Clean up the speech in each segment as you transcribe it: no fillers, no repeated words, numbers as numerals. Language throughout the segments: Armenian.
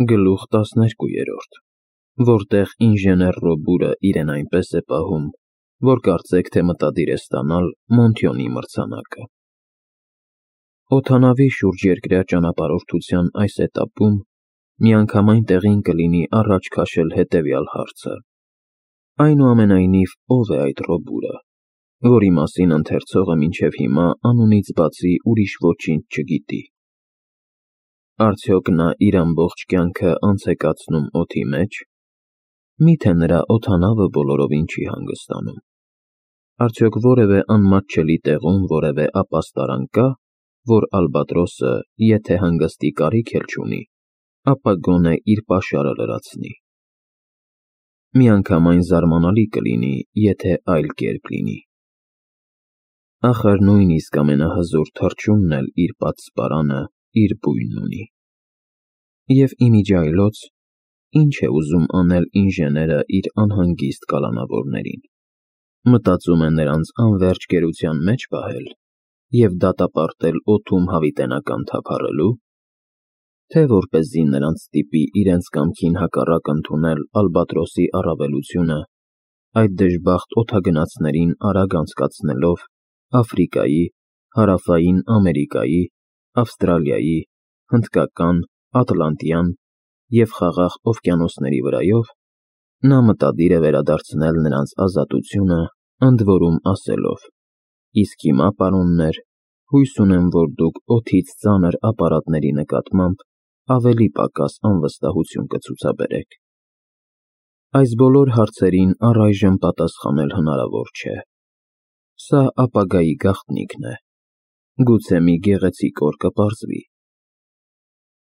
Գլուխ 12, որտեղ ինժեներ Ռոբուրը իրեն այնպես է պահում, որ կարծեք թե մտադիր է ստանալ Մոնթյոնի մրցանակը։ Օդանավի շուրջերկրյա ճանապարհորդության այս էտապում միանգամայն տեղին կլինի առաջ քաշել հետևյալ հարցը. այնուամենայնիվ, ով է այդ Ռոբուրը, որի մասին ընթերցողը մինչև հիմա անունից բացի ուրիշ ոչինչ չգիտի։ Արդյոք նա իր ամբողջ կյանքը անց է կացնում օդի մեջ։ Միթե նրա օդանավը բոլորովին չի հանգստանում։ Արդյոք որևէ անմատչելի տեղում որևէ ապաստարան կա, որ Ալբատրոսը, եթե հանգստի կարիք էլ չունի, ապա գոնե իր պաշարը լրացնի։ Միանգամայն զարմանալի կլինի, եթե այլ կերպ լինի։ Ախր նույնիսկ ամենահզոր թռչունն էլ իր պատսպարանը, իր բույնն ունի։ Եվ իմիջիայլոց, ինչ է ուզում անել ինժեները իր անհանգիստ կալանավորներին։ Մտածում է նրանց անվերջ գերության մեջ պահել և դատապարտել օդում հավիտենական թափառելու, թե որպեսզի նրանց ստիպի իրենց կամքին հակառակ ընդունել Ալբատրոսի առավելությունը, այդ դժբախտ օդագնացներին արագ անցկացնելով Աֆրիկայի, Հարավային Ամերիկայի, Ավստրալիայի, Հնդկական, Ատլանտյան և Խաղաղ օվկիանոսների վրայով, նա մտադիր է վերադարձնել նրանց ազատությունը, ընդ որում ասելով. իսկ հիմա, պարոններ, հույս ունեմ, որ դուք օդից ծանր ապարատների նկատմամբ ավելի պակաս անվստահություն կցուցաբերեք։ Այս բոլոր հարցերին առայժմ պատասխանել հնարավոր չէ։ Սա ապագայի գաղտնիքն է։ Գուցե մի գեղեցիկ օր կպարզվի։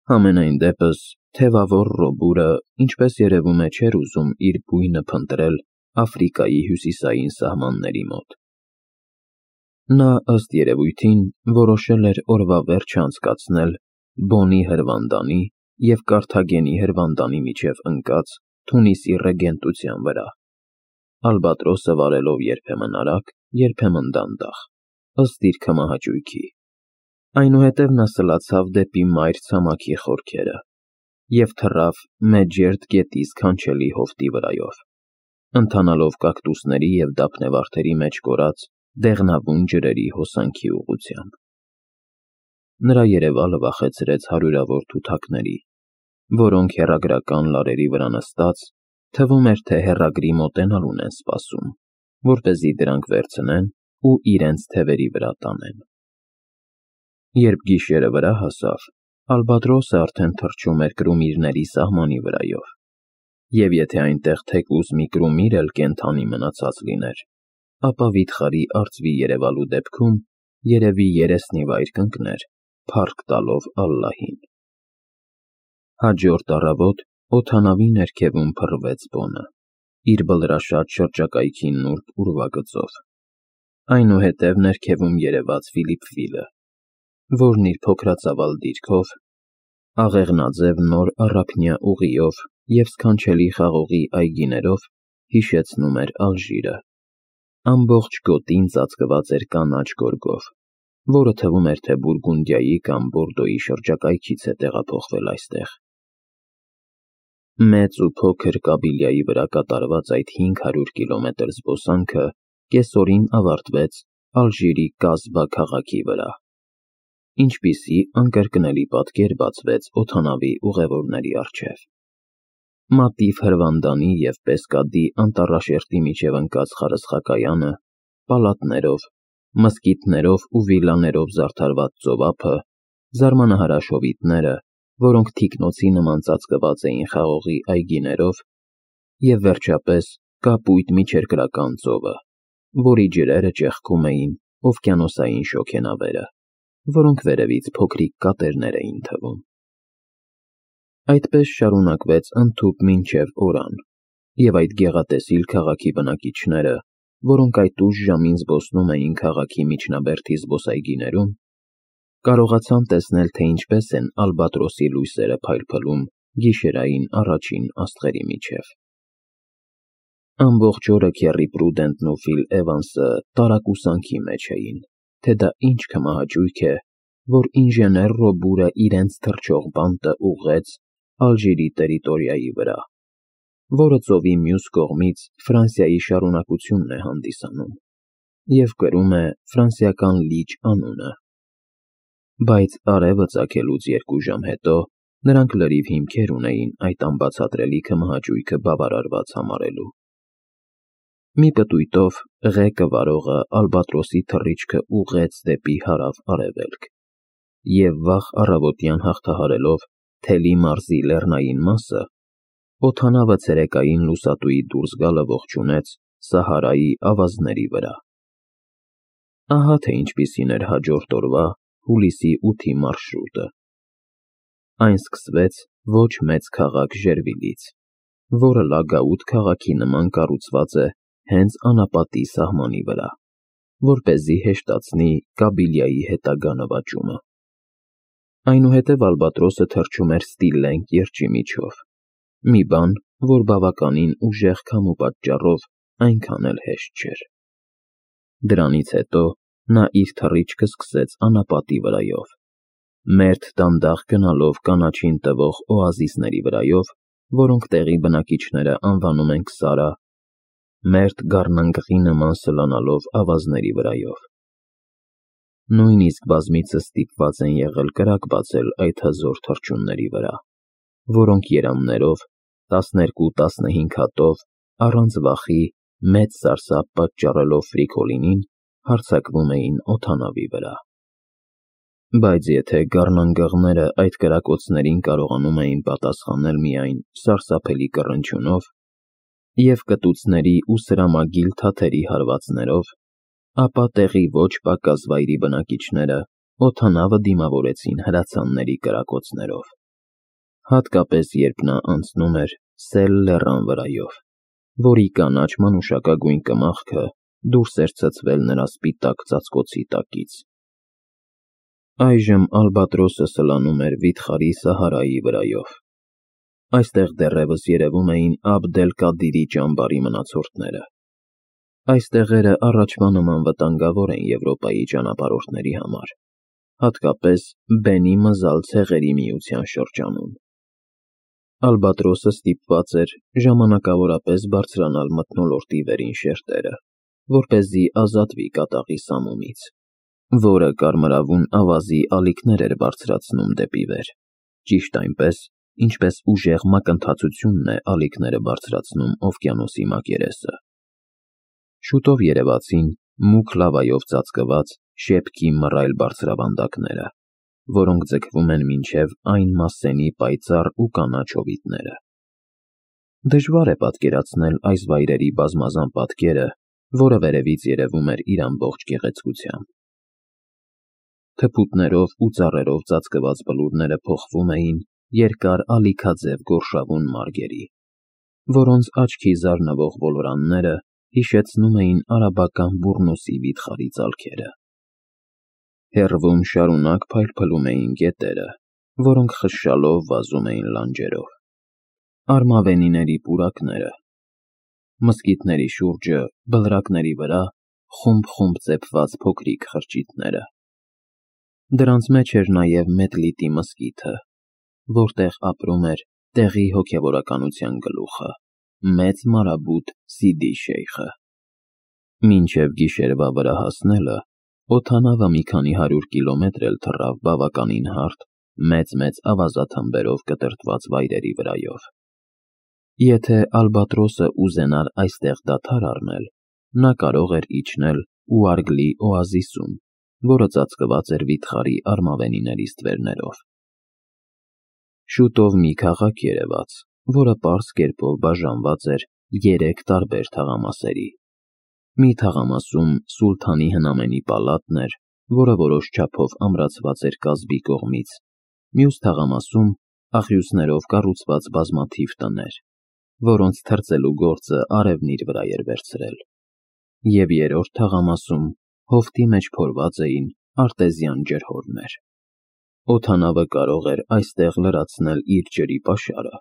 Համենայն դեպս, թևավոր Ռոբուրը, ինչպես երևում է, չէր ուզում իր բույնը փնտրել Աֆրիկայի հյուսիսային սահմանների մոտ։ Նա, ըստ երևույթին, որոշել էր օրվա վերջը անցկացնել Բոնի հրվանդանի և Կարթագենի հրվանդանի միջև ընկած Թունիսի ռեգենտության վրա, Ալբատրոսը վարելով երբեմն արագ, երբեմն դանդաղ, ըստ իր քմահաճույքի։ Այնուհետև նա սլացավ դեպի մայր ցամաքի խորքերը և թռավ Մեջերտ գետի սքանչելի հովտի վրայով, ընթանալով կակտուսների և դափնեվարդերի մեջ կորած դեղնավուն ջրերի հոսանքի ուղղությամբ։ Նրա երևալը վախեցրեց հարյուրավոր թութակների, որոնք հեռագրական լարերի վրա նստած, թվում էր, թե հեռագրի մոտենալուն են սպասում, որպեսզի դրանք վերցնեն ու իրենց թևերի վրա տանեն։ Երբ գիշերը վրա հասավ, Ալբատրոսը արդեն թռչում էր կրումիրների սահմանի վրայով, և եթե այնտեղ թեկուզ մի կրումիր էլ կենդանի մնացած լիներ, ապա վիթխարի արծվի երևալու դեպքում երևի երեսնի վայր կընկներ, փառք տալով Ալլահին։ Հաջորդ առավոտ օդանավի ներքևում փռվեց Բոնը, իր բլրաշատ շրջակայքի նուրբ ուրվագծով։ Այնուհետև ներքևում երևաց Ֆիլիպվիլը, որն իր փոքրածավալ դիրքով, աղեղնաձև նոր առափնյա ուղիով և սքանչելի խաղողի այգիներով հիշեցնում էր Ալժիրը։ Ամբողջ գոտին ծածկված էր կանաչ գորգով, որը թվում էր, թե Բուրգունդիայի կամ Բորդոյի շրջակայքից է տեղափոխվել այստեղ։ Մեծ ու փոքր Կաբիլիայի վրա կատարված այդ 500 կիլոմետր զբոսանքը կեսօրին ավարտվեց Ալժիրի Կազբա քաղաքի վրա, ինչպիսի անկրկնելի պատկեր բացվեց օդանավի ուղևորների առջև։ Մատիվ հրվանդանի և Պեսկադի անտառաշերտի միջև ընկած խարսխակայանը, պալատներով, մզկիթներով ու վիլլաներով զարդարված ծովափը, զարմանահրաշ հովիտները, որոնք թիկնոցի նման ծածկված էին խաղողի այգիներով, և վերջապես կապույտ միջերկրական ծովը, որի ջրերը ճեղքում էին օվկիանոսային շոգենավերը, որոնք վերևից փոքրիկ կատերներ էին թվում։ Այդպես շարունակվեց ընդհուպ մինչև օրան, և այդ գեղատեսիլ քաղաքի բնակիչները, որոնք այդ ուշ ժամին զբոսնում էին քաղաքի միջնաբերդի զբոսայգիներում, կարողացան տեսնել, թե ինչպես են Ալբատրոսի լույսերը փայլփլում գիշերային առաջին աստղերի միջև։ Ամբողջ օրը Քեռի Պրուդենտն ու Ֆիլ Էվանսը տարակուսանքի մեջ էին, թե դա ինչ քմահաճույք է, որ ինժեներ Ռոբուրը իրենց թռչող բանտը ուղղեց Ալժիրի տերիտորիայի վրա, որը ծովի մյուս կողմից Ֆրանսիայի շարունակությունն է հանդիսանում և կրում է ֆրանսիական լիճ անունը։ Բայց արևը ծագելուց 2 ժամ հետո նրանք լրիվ հիմքեր ունեին այդ անբացատրելի քմահաճույքը բավարարված համարելու։ Մի պտույտով ղեկը վարողը ալբատրոսի թռիչքը ուղղեց դեպի հարավ-արևելք, և վաղ առավոտյան հաղթահարելով Թելի մարզի լեռնային մասը, օդանավը ցերեկային լուսատուի դուրս գալը ողջունեց Սահարայի ավազների վրա։ Ահա թե ինչպիսին էր հաջորդ օրվա հուլիսի 8-ի մարշրուտը։ Այն սկսվեց ոչ մեծ քաղաք Ժերվիլից, որը Լագաուտ քաղաքի նման կառուցված է հենց անապատի սահմանի վրա, որպեսզի հեշտացնի Կաբիլիայի հետագա նվաճումը։ Այնուհետև ալբատրոսը թռչում էր Ստիլլենգ կիրճի միջով, մի բան, որ բավականին ուժեղ քամու պատճառով այնքան էլ հեշտ չէր։ Դրանից հետո նա իր թռիչքը սկսեց անապատի վրայով, մերթ դանդաղ գնալով կանաչին տվող օազիսների վրայով, որոնք տեղի բնակիչները անվանում են Քսարա, մերթ գառնանգղի նման սլանալով ավազների վրայով։ Նույնիսկ բազմիցս ստիպված են եղել կրակ բացել այդ հզոր թռչունների վրա, որոնք երամներով, 12-15 հատով, առանց վախի, մեծ սարսափ պատճառելով Ֆրիկոլինին, հարձակվում էին օդանավի վրա։ Բայց եթե գառնանգղները այդ կրակոցներին կարողանում էին պատասխանել միայն սարսափելի կռնչյունով և կտուցների ու սրամագիլ թաթերի հարվածներով, ապա տեղի ոչ պակաս վայրի բնակիչները օդանավը դիմավորեցին հրացանների կրակոցներով, հատկապես երբ նա անցնում էր Սել լեռան վրայով, որի կանաչ մանուշակագույն կմախքը դուրս էր ցցվել նրա սպիտակ ծածկոցի տակից։ Այժմ ալբատրոսը սլանում էր վիթխարի Սահարայի վրայով։ Այստեղ դեռևս երևում էին Աբդ-էլ-Կադիրի ճամբարի մնացորդները։ Այս տեղերը առաջվա նման վտանգավոր են Եվրոպայի ճանապարհորդների համար, հատկապես Բենի Մզալ ցեղերի միության շրջանում։ Ալբատրոսը ստիպված էր ժամանակավորապես բարձրանալ մթնոլորտի վերին շերտերը, որպեսզի ազատվի կատաղի սամումից, որը կարմրավուն ավազի ալիքներ էր բարձրացնում դեպի վեր, ճիշտ այնպես, ինչպես ուժեղ մակընթացությունն է ալիքները բարձրացնում օվկիանոսի մակերեսը։ Շուտով երևացին մուգ լավայով ծածկված շեպքի մռայլ բարձրավանդակները, որոնք ձգվում են մինչև այն Մասսենի պայծառ ու կանաչ հովիտները։ Դժվար է պատկերացնել այս վայրերի բազմազան պատկերը, որը վերևից երևում էր իր ամբողջ գեղեցկությամբ։ Թփուտներով ու ծառերով ծածկված բլուրները փոխվում էին երկար ալիքաձև գորշավուն մարգերի, որոնց աչքի զարնվող ոլորանները հիշեցնում էին արաբական Բուռնուսի վիթխարի ծալքերը։ Հեռվում շարունակ փայլփլում էին գետերը, որոնք խշշալով վազում էին լանջերով։ Արմավենիների պուրակները, մզկիթների շուրջը, բլրակների վրա խումբ-խումբ ծեփված փոքրիկ խրճիթները։ Դրանց մեջ էր նաև Մետլիտի մզկիթը, որտեղ ապրում էր տեղի հոգևորականության գլուխը, մեծ մարաբուտ Սիդի Շեյխը։ Մինչև գիշերվա վրա հասնելը օդանավը մի քանի 100 կիլոմետր էլ թռավ բավականին հարթ, մեծ ավազաթմբերով կտրտված վայրերի վրայով։ Եթե ալբատրոսը ուզենար այստեղ դադար առնել, նա կարող էր իջնել Ուարգլի օազիսում, որը ծածկված էր վիթխարի արմավենիների ստվերներով։ Շուտով մի քաղաք երևաց, որը պարզ կերպով բաժանված էր 3 տարբեր թաղամասերի։ Մի թաղամասում սուլթանի հնամենի պալատն էր, որը որոշ չափով ամրացված էր կազբի կողմից, մյուս թաղամասում աղյուսներով կառուցված բազմաթիվ տներ, որոնց թրծելու գործը արևն իր վրա էր վերցրել, և երրորդ թաղամասում հովտի մեջ փորված էին արտեզյան ջրհորներ։ Օդանավը կարող էր այստեղ լրացնել իր ջրի պաշարը,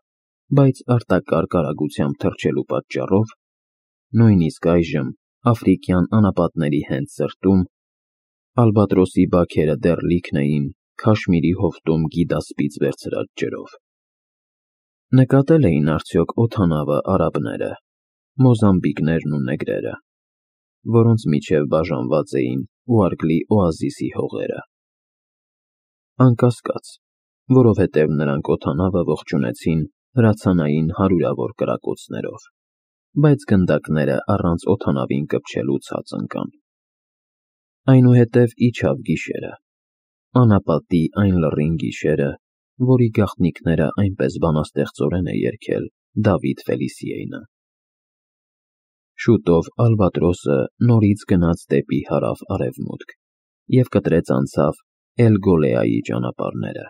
բայց արտակարգ արագությամբ թռչելու պատճառով, նույնիսկ այժմ աֆրիկյան անապատների հենց սրտում, ալբատրոսի բաքերը դեռ լիքն էին Քաշմիրի հովտում գիդասպից վերցրած ջրով։ Նկատել էին արդյոք օդանավը արաբները, մոզամբիկներն ու նեգրերը, որոնց միջև բաժանված էին Ուարգլի օազիսի հողերը։ Անկասկած, որովհետև նրանք օդանավը ողջունեցին հրացանային հարյուրավոր կրակոցներով, բայց գնդակները առանց օդանավին կպչելու ցած ընկան։ Այնուհետև իջավ գիշերը, անապատի այն լռին գիշերը, որի գաղտնիքները այնպես բանաստեղծորեն է երգել Դավիթ Ֆելիսիեյնը։ Շուտով Ալբատրոսը նորից գնաց դեպի հարավ-արևմուտք և կտրեց անցավ Էլ-Գոլեայի ճանապարհները։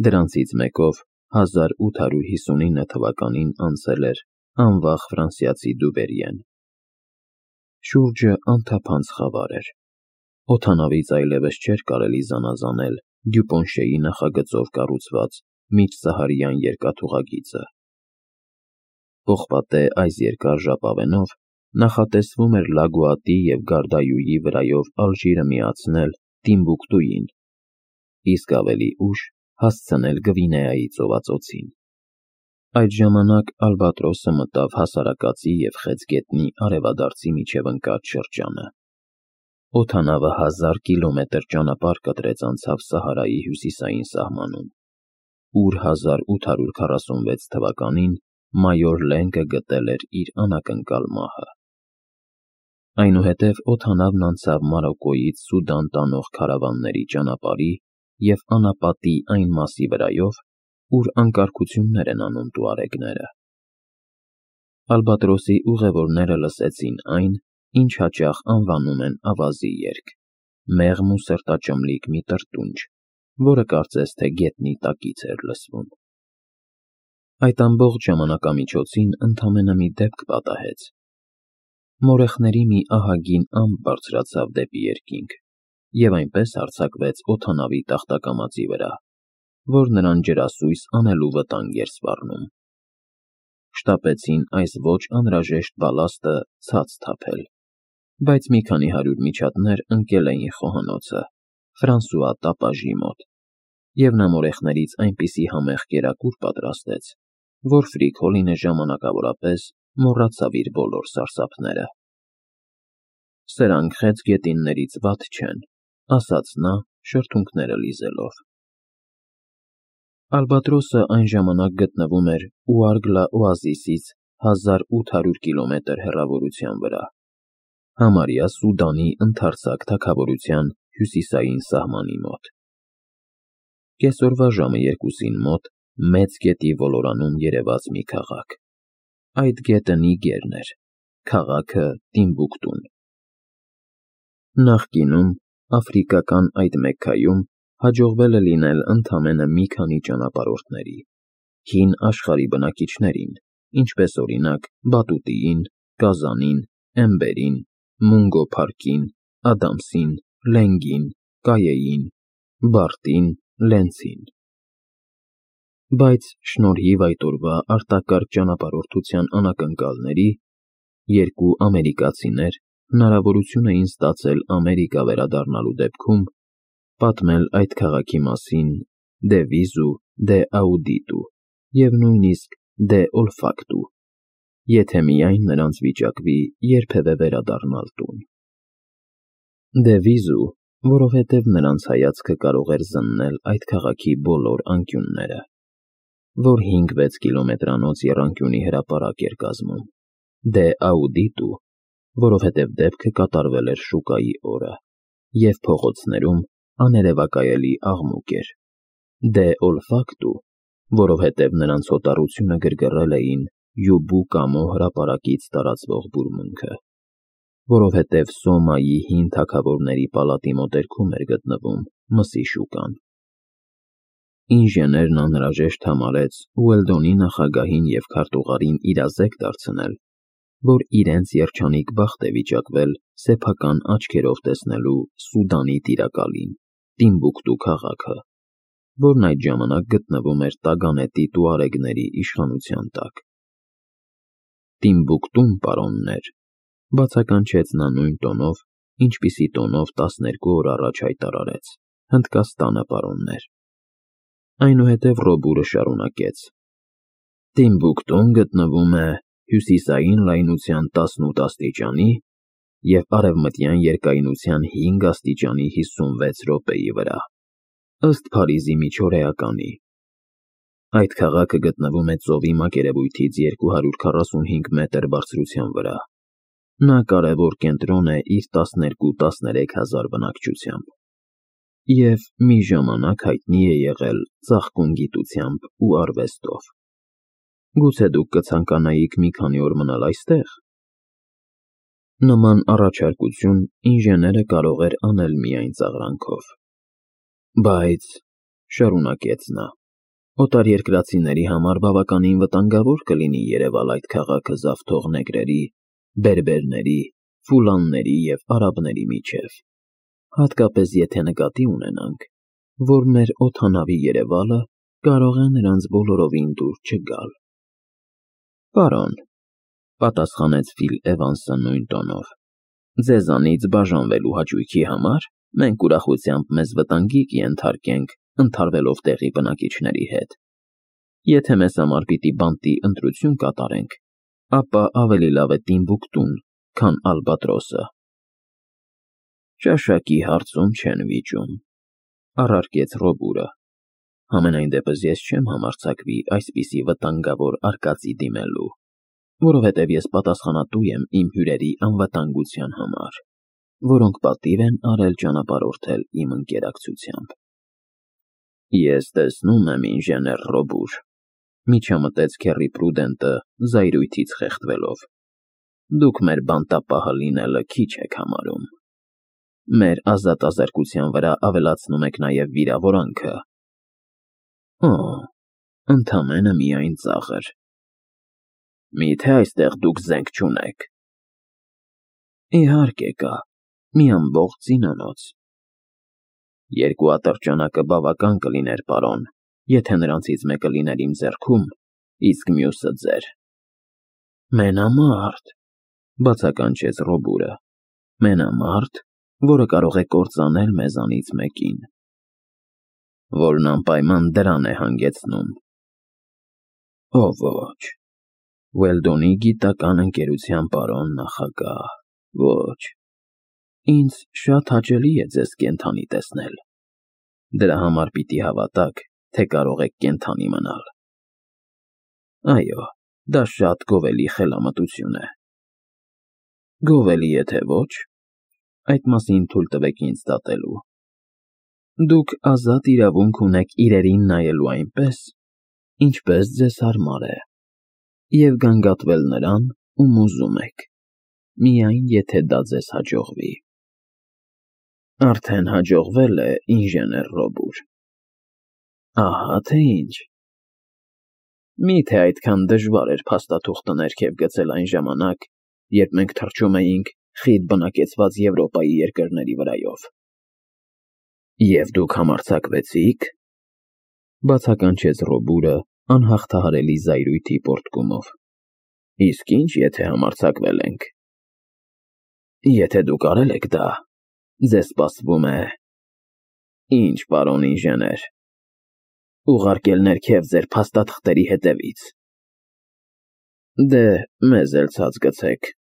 Դրանցից մեկով 1859 թվականին անցել էր անվախ ֆրանսիացի Դուվերիեն։ Շուրջը անթափանց խավար էր։ Օդանավից այլևս չէր կարելի զանազանել Դյուպոնշեի նախագծով կառուցված միջսահարյան երկաթուղագիծը։ Պողպատե այս երկար ժապավենով նախատեսվում էր Լագուատի և Գարդայույի վրայով Ալժիրը միացնել Տիմբուկտուին, իսկ ավելի ուշ հասցնել Գվինեայի ծովածոցին։ Այդ ժամանակ Ալբատրոսը մտավ հասարակածի և Խեցգետնի արևադարձի միջև ընկած շրջանը։ Օդանավը 1000 կիլոմետր ճանապարհ կտրեց անցավ Սահարայի հյուսիսային սահմանում, ուր 1846 թվականին մայոր Լենկը գտել էր իր անակնկալ մահը։ Այնուհետև օդանավն անցավ Մարոկկոյից Սուդան տանող քարավանների ճանապարհի և անապատի այն մասի վրայով, ուր անկարգություններ են անում տուարեգները։ Ալբատրոսի ուղևորները լսեցին այն, ինչ հաճախ անվանում են ավազի երգ, մեղմ ու սրտաճմլիկ մի տրտունջ, որը կարծես թե գետնի տակից էր լսվում։ Այդ ամբողջ ժամանակամիջոցին ընդամենը մի դեպք պատահեց։ Մորեխների մի ահագին ամպ բարձրացավ դեպի երկինք և այնպես հարձակվեց օդանավի տախտակամածի վրա, որ նրան ջրասույս անելու վտանգ էր սպառնում։ Շտապեցին այս ոչ անհրաժեշտ բալաստը ցած թափել, բայց մի քանի հարյուր միջատներ ընկել էին խոհանոցը, Ֆրանսուଆ տապաժի մոտ, և նա մորեխներից այնպիսի համեղ կերակուր պատրաստեց, որ Ֆրիկոլինը ժամանակավորապես մոռացավ իր բոլոր սարսափները։ «Սրանք խեցգետիններից վատ չեն», ասաց նա, շրթունքները լիզելով։ Ալբատրոսը այն ժամանակ գտնվում էր Ուարգլա օազիսից 1800 կիլոմետր հեռավորության վրա, համարյա Սուդանի ընդարձակ թագավորության հյուսիսային սահմանի մոտ։ Կեսօրվա ժամը 2-ին մոտ մեծ գետի ոլորանում երևաց մի քաղաք։ Այդ գետը Նիգերն էր, քաղաքը Տիմբուկտուն։ Նախկինում աֆրիկական այդ Մեքքայում հաջողվել է լինել ընդամենը մի քանի ճանապարհորդների, հին աշխարհի բնակիչներին, ինչպես օրինակ Բատուտիին, Կազանին, Էմբերին, Մունգո Փարքին, Ադամսին, Լենգին, Կայեին, Բարտին, Լենցին։ Բայց շնորհիվ այդ օրվա արտակարգ ճանապարհորդության անակնկալների, երկու ամերիկացիներ հնարավորություն էին ստացել Ամերիկա վերադառնալու դեպքում պատմել այդ քաղաքի մասին դե վիզու, դե աուդիտու և նույնիսկ դե օլֆակտու, եթե միայն նրանց վիճակվի երբևէ վերադառնալ տուն։ Դե վիզու, որովհետև նրանց հայացքը կարող էր զննել այդ քաղաքի բոլոր անկյունները, որ 5-6 կիլոմետրանոց եռանկյունի հրապարակ էր կազմում։ Դե աուդիտու, որովհետև դեպքը կատարվել էր շուկայի օրը, և փողոցներում աներևակայելի աղմուկ էր։ Դե օլֆակտու, որովհետև նրանց հոտառությունը գրգռել էին Յուբու կամո հրապարակից տարածվող բուրմունքը, որովհետև Սոմայի հին թագավորների պալատի մոտերքում էր գտնվում մսի շուկան։ Ինժեներն անհրաժեշտ համարեց Ուելդոնի նախագահին և քարտուղարին իրազեկ դարձնել, որ իրենց երջանիկ բախտ է վիճակվել սեփական աչքերով տեսնելու Սուդանի տիրակալին, Տիմբուկտու քաղաքը, որն այդ ժամանակ գտնվում էր տագանետի տուարեգների իշխանության տակ։ Տիմբուկտուն, պարոններ, բացականչեց նա նույն տոնով, ինչպիսի տոնով 12 օր առաջ հայտարարեց. Հնդկաստանը, պարոններ։ Այնուհետև Ռոբուրը շարունակեց. Տիմբուկտուն գտնվում է հյուսիսային լայնության 18 աստիճանի և արևմտյան երկայնության 5 աստիճանի 56 րոպեի վրա, ըստ Փարիզի միջօրեականի։ Այդ քաղաքը գտնվում է ծովի մակերևույթից 245 մետր բարձրության վրա։ Նա կարևոր կենտրոն է իր 12-13 հազար բնակչությամբ և մի ժամանակ հայտնի է եղել ծաղկուն գիտությամբ ու արվեստով։ Գուցե դուք կցանկանայիք մի քանի օր մնալ այստեղ։ Նման առաջարկություն ինժեները կարող էր անել միայն ծաղրանքով։ Բայց, շարունակեց նա, օտարերկրացիների համար բավականին վտանգավոր կլինի երևալ այդ քաղաքը զավթող նեգրերի, բերբերների, ֆուլանների և արաբների միջև, հատկապես եթե նկատի ունենանք, որ մեր օդանավի երևալը կարող է նրանց բոլորովին դուր չգալ։ Պարոն, պատասխանեց Ֆիլ Էվանսը նույն տոնով, ձեզանից բաժանվելու հաճույքի համար մենք ուրախությամբ մեզ վտանգի կենթարկենք ընդհարվելով տեղի բնակիչների հետ։ Եթե մեզ համար պիտի բանտի ընտրություն կատարենք, ապա ավելի լավ է Տիմբուկտուն, քան Ալբատրոսը։ Ճաշակի հարցում չեն վիճում, առարկեց Ռոբուրը։ Համենայն դեպս ես չեմ համարձակվի այսպիսի վտանգավոր արկածի դիմելու, որովհետև ես պատասխանատու եմ իմ հյուրերի անվտանգության համար, որոնք պատիվ են արել ճանապարհորդել իմ ընկերակցությամբ։ Ես տեսնում եմ, ինժեներ Ռոբուր, միջամտեց Քեռի Պրուդենտը զայրույթից խեղդվելով, դուք մեր բանտապահը լինելը քիչ եք համարում։ Մեր ազատազրկության վրա ավելացնում եք նաև վիրավորանքը։ Օ, ընդամենը միայն ծաղր։ Միթե այստեղ դուք զենք չունեք։ Իհարկե կա, մի ամբողջ զինանոց։ Երկու ատրճանակը բավական կլիներ, պարոն, եթե նրանցից մեկը լիներ իմ ձեռքում, իսկ մյուսը ձեր։ Մենամարտ, բացականչեց Ռոբուրը, մենամարտ, որը կարող է կործանել մեզանից մեկին, որն անպայման դրան է հանգեցնում։ Ո ոչ, Ուելդոնի գիտական ընկերության պարոն նախագահ, ոչ, ինձ շատ հաճելի է ձեզ կենդանի տեսնել, դրա համար պիտի հավատաք, թե կարող եք կենդանի մնալ։ Այո, դա շատ գովելի խելամտություն է։ Գովելի է թե ոչ, այդ մասին թույլ տվեք ինձ դատելու։ Դուք ազատ իրավունք ունեք իրերին նայելու այնպես, ինչպես ձեզ հարմար է, և գանգատվել նրան, ում ուզում եք, միայն եթե դա ձեզ հաջողվի։ Արդեն հաջողվել է, ինժեներ Ռոբուր։ Ահա թե ինչ։ Միթե այդքան դժվար էր փաստաթուղթը ներքև գցել այն ժամանակ, երբ մենք թռչում էինք խիտ բնակեցված Եվրոպայի երկրների վրայով։ Եվ դուք համարձակվեցիք, բացականչեց Ռոբուրը անհաղթահարելի զայրույթի պոռթկումով։ Իսկ ինչ, եթե համարձակվել ենք։ Եթե դուք արել եք դա, ձեզ սպասվում է… Ինչ, պարոն ինժեներ, ուղարկել ներքև ձեր փաստաթղթերի հետևից։ Դե, մեզ էլ ցած գցեք,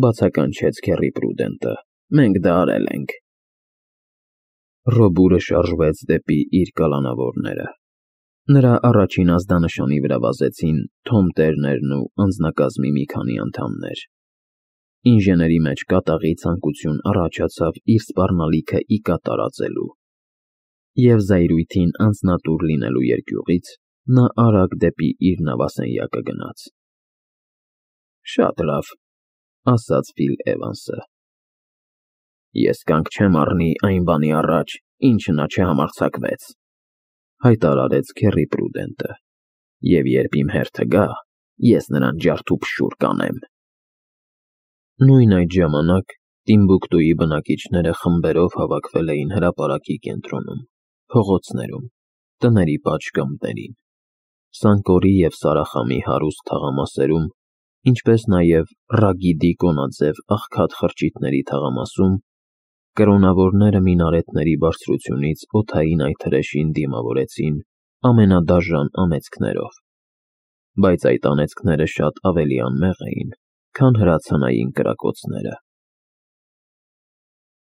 բացականչեց Քեռի Պրուդենտը, մենք դա արել ենք։ Ռոբուրը շարժվեց դեպի իր կալանավորները։ Նրա առաջին ազդանշանի վրա վազեցին Թոմ Տերներն ու անձնակազմի մի քանի անդամներ։ Ինժեների մեջ կատաղի ցանկություն առաջացավ իր սպառնալիքը ի կատար ածելու, և զայրույթին անձնատուր լինելու երկյուղից նա արագ դեպի իր նավասենյակը գնաց։ Շատ լավ, ասաց Ֆիլ Էվանսը։ Ես կանգ չեմ առնի այն բանի առաջ, ինչը նա չհամարձակվեց, հայտարարեց Քեռի Պրուդենտը, և երբ իմ հերթը գա, ես նրան ջարդուփշուր կանեմ։ Նույն այդ ժամանակ Տիմբուկտուի բնակիչները խմբերով հավաքվել էին հրապարակի կենտրոնում, փողոցներում, տների պատշգամբներին, Սանկորի և Սարախամի հարուստ թաղամասերում, ինչպես նաև Ռագիդի կոնաձև աղքատ խրճիթների թաղամասում, կրոնավորները մինարետների բարձրությունից օդային այթրեշին դիմավորեցին ամենադաժան անեծքներով։ բայց այդ անեծքները շատ ավելի անմեղ էին, քան հրացանային կրակոցները։